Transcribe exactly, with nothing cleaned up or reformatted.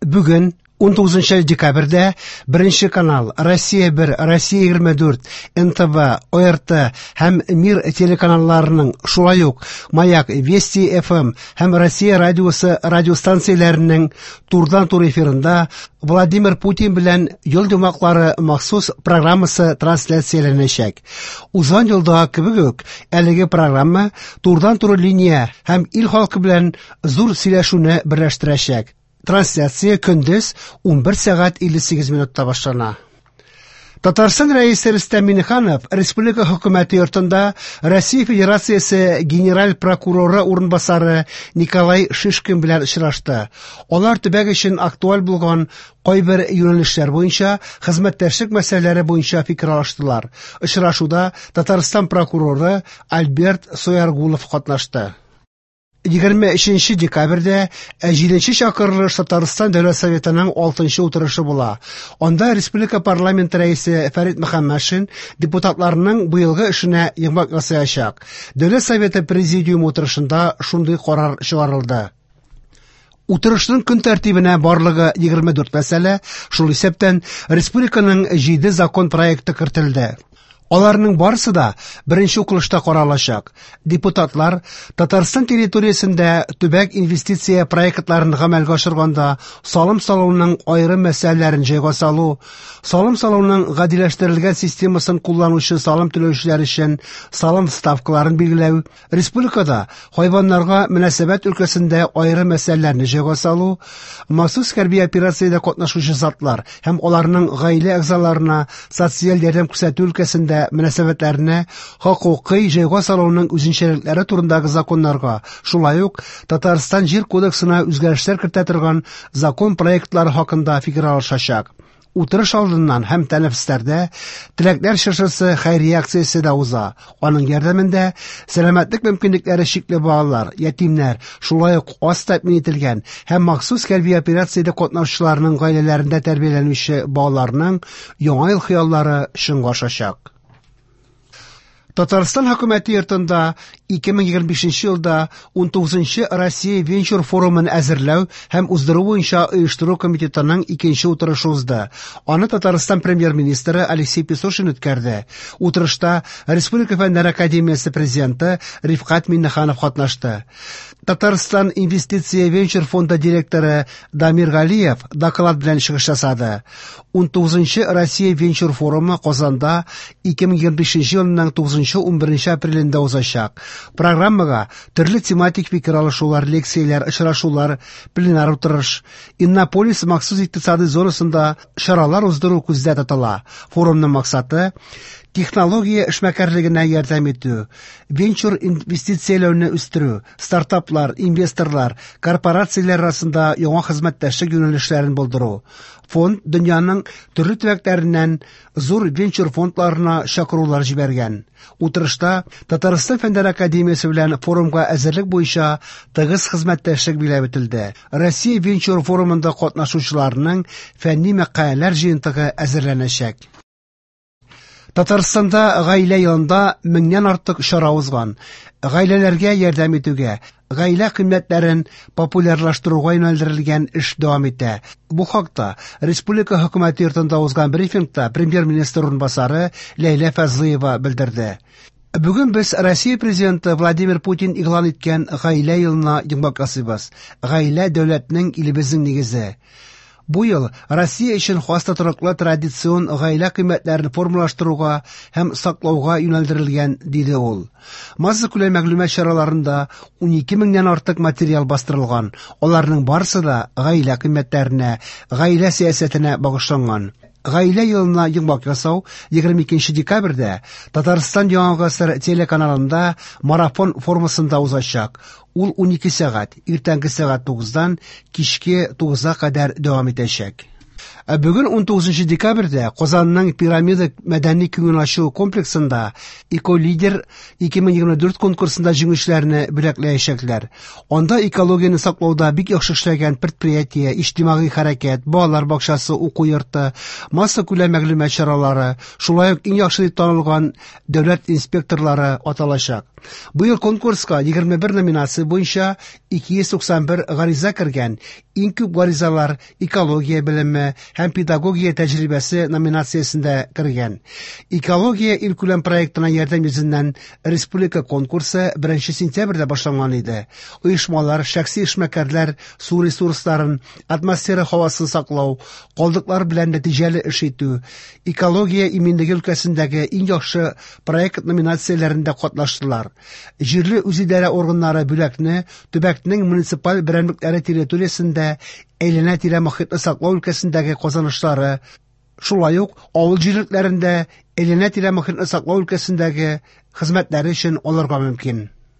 Бүген унтугызынчы декабрьдә Беренче канал, Россия бер, Россия егерме дүрт, эн тэ вэ, о эр тэ һәм Мир телеканалларының, шулай ук Маяк, Вести эф эм һәм Россия радиосы радиостанцияләренең турыдан-туры эфирында Владимир Путин белән ел йомгаклары махсус программасы трансляцияләнәчәк. Узган елдагы кебек үк, әлеге программа турыдан-туры линия һәм ил халкы белән зур сөйләшүне берләштерәчәк. Трансляция көндез унбер сәгать илле сигез минутта башлана. Татарстан Рәисе Рөстәм Миңнеханов Республика Хөкүмәте йортында Россия Федерациясе Генераль прокуроры урынбасары Николай Шишкин белән очрашты. Алар төбәк өчен актуаль булган кайбер юнәлешләр буенча хезмәттәшлек мәсьәләләре буенча фикер алыштылар. Очрашуда Татарстан прокуроры Альберт Сояргулов катнашты. Егерме өченче декабрьдә җиденче чакырылыш Татарстан Дәүләт Советының алтынчы утырышы була. Анда Республика парламенты рәисе Фәрит Мөхәммәтшин депутатларның быелгы эшенә йомгак ясаячак. Дәүләт Советы президиумы утырышында шундый карар чыгарылды. Утырышның көн тәртибенә барлыгы егерме дүрт мәсьәлә, шул исәптән республиканың җиде закон проекты кертелде. Аларның барысы да беренче укылышта каралачак. Депутатлар Татарстан территориясендә төбәк инвестиция проектларын гамәлгә ашырганда салым салуның аерым мәсьәләләрен җайга салу, салым салуның гадиләштерелгән системасын кулланучы салым түләүчеләр өчен салым ставкаларын билгеләү, республикада хайваннарга мөнәсәбәт өлкәсендә аерым мәсьәләләрне җайга салу, махсус хәрби операциядә катнашучы затлар һәм аларның гаилә әгъзаларына социаль ярдәм күрсәтү өлкәсендә мөнәсәбәтләрне хокукый җайга салуның үзенчәлекләре турындагы законнарга, шулай ук Татарстан Җир кодексына үзгәрешләр кертә торган закон проектлары хакында фикер алышачак. Утырыш алдыннан һәм тәнәфесләрдә Теләкләр чыршысы хәйрия акциясе дә уза. Аның ярдәмендә сәламәтлек мөмкинлекләре чикле балалар, ятимнәр, шулай ук аз тәэмин ителгән һәм махсус хәрби операциядә катнашучыларның гаиләләрендә тәрбияләнүче балаларның яңа ел хыяллары чынга ашачак. Татарстан хөкүмәте йортында ике мең егерме бишенче елда унтугызынчы Россия венчур форумын әзерләү һәм уздыру буенча оештыру комитетының икенче утырышы узды. Аны Татарстан премьер-министры Алексей Песошин үткәрде. Утырышта Республика Фәннәр академиясе президенты Рифкать Миңнеханов катнашты. Татарстан инвестиция венчур фонды директоры Дамир Галиев доклад белән чыгыш ясады. Унтугызынчы Россия венчур форумы Казанда ике мең егерме бишенче елның тугызынчы унберенче апрелендә узачак. Программага төрле тематик фикер алышулар, лекцияләр, очрашулар, пленар утырыш, Иннополис махсус икътисади зонасында чаралар уздыру күздә тотыла. Форумның максаты технология эшмәкәрлегенә ярдәм итү, венчур инвестицияләүне үстерү, стартаплар, инвесторлар, корпорацияләр арасында яңа хезмәттәшлек юнәлешләрен булдыру. Фонд дөньяның төрле төбәкләреннән зур венчур фондларына чакырулар җибәргән. Утырышта Татарстан Фәннәр академиясе белән форумга әзерлек буенча тыгыз хезмәттәшлек билгеләп үтелде. Россия венчур форумында катнашучыларның фәнни мәкаләләр җыентыгы әзерләнәчәк. Татарстанда гаилә елында меңнән артык чара узган. Гаиләләргә ярдәм итүгә, гаилә кыйммәтләрен популярлаштыруга юнәлдерелгән эш дәвам итә. Бу хакта Республика хөкүмәте йортында узган брифингта премьер-министр урынбасары Ләйлә Фазлыева белдерде. Бүген без Россия президенты Владимир Путин игълан иткән гаилә елына йомгак ясыйбыз. Гаилә дәүләтнең, илебезнең нигезе. Бу ел Россия өчен хас тотрыклы традицион гаилә кыйммәтләрен формалаштыруга һәм саклауга юнәлдерелгән, диде ул. Массакүләм мәгълүмат чараларында унике меңнән артык материал бастырылган. Аларның барысы да гаилә кыйммәтләренә, гаилә сәясәтенә багышланган. Гаилә елына йомгак ясау егерме икенче декабрьдә Татарстан Яңа гасыр телеканалында марафон формасында узачак. Ул унике сәгать, иртәнге сәгать тугыздан кичке тугызга кадәр дәвам итәчәк. Ә бүген унтугызынчы декабрьдә Казанның Пирамида мәдәни күңел ачу комплексында Эколидер ике мең егерме дүрт конкурсында җиңүчеләрне бүләкләячәкләр. Анда экологияне саклауда бик яхшы эшләгән предприятие, иҗтимагый хәрәкәт, балалар бакчасы, уку йорты, массакүләм мәгълүмат чаралары, шулай ук иң яхшы дип танылган дәүләт инспекторлары аталачак. Быел конкурска егерме бер номинация буенча ике йөз туксан бер гариза кергән. Иң күп гаризалар экология белеме һәм педагогия тәҗрибәсе номинациясендә кергән. Экология илкүләм проектына ярдәм йөзеннән республика конкурсы беренче сентябрьдә башланган иде. Оешмалар, шәхси эшмәкәрләр су ресурсларын, атмосфера һавасын саклау, калдыклар белән нәтиҗәле эш итү, экология иминлеге өлкәсендәге иң яхшы проект номинацияләрендә катнаштылар. Җирле үзидарә органнары бүләкне төбәкнең муниципаль берәмлекләре территориясендә әйләнә-тирә мохитне саклау өлкәсендәге казанышлары, шулай ук авыл җирлекләрендә әйләнә-тирә мохитне саклау өлкәсендәге хезмәтләре өчен алырга мөмкин.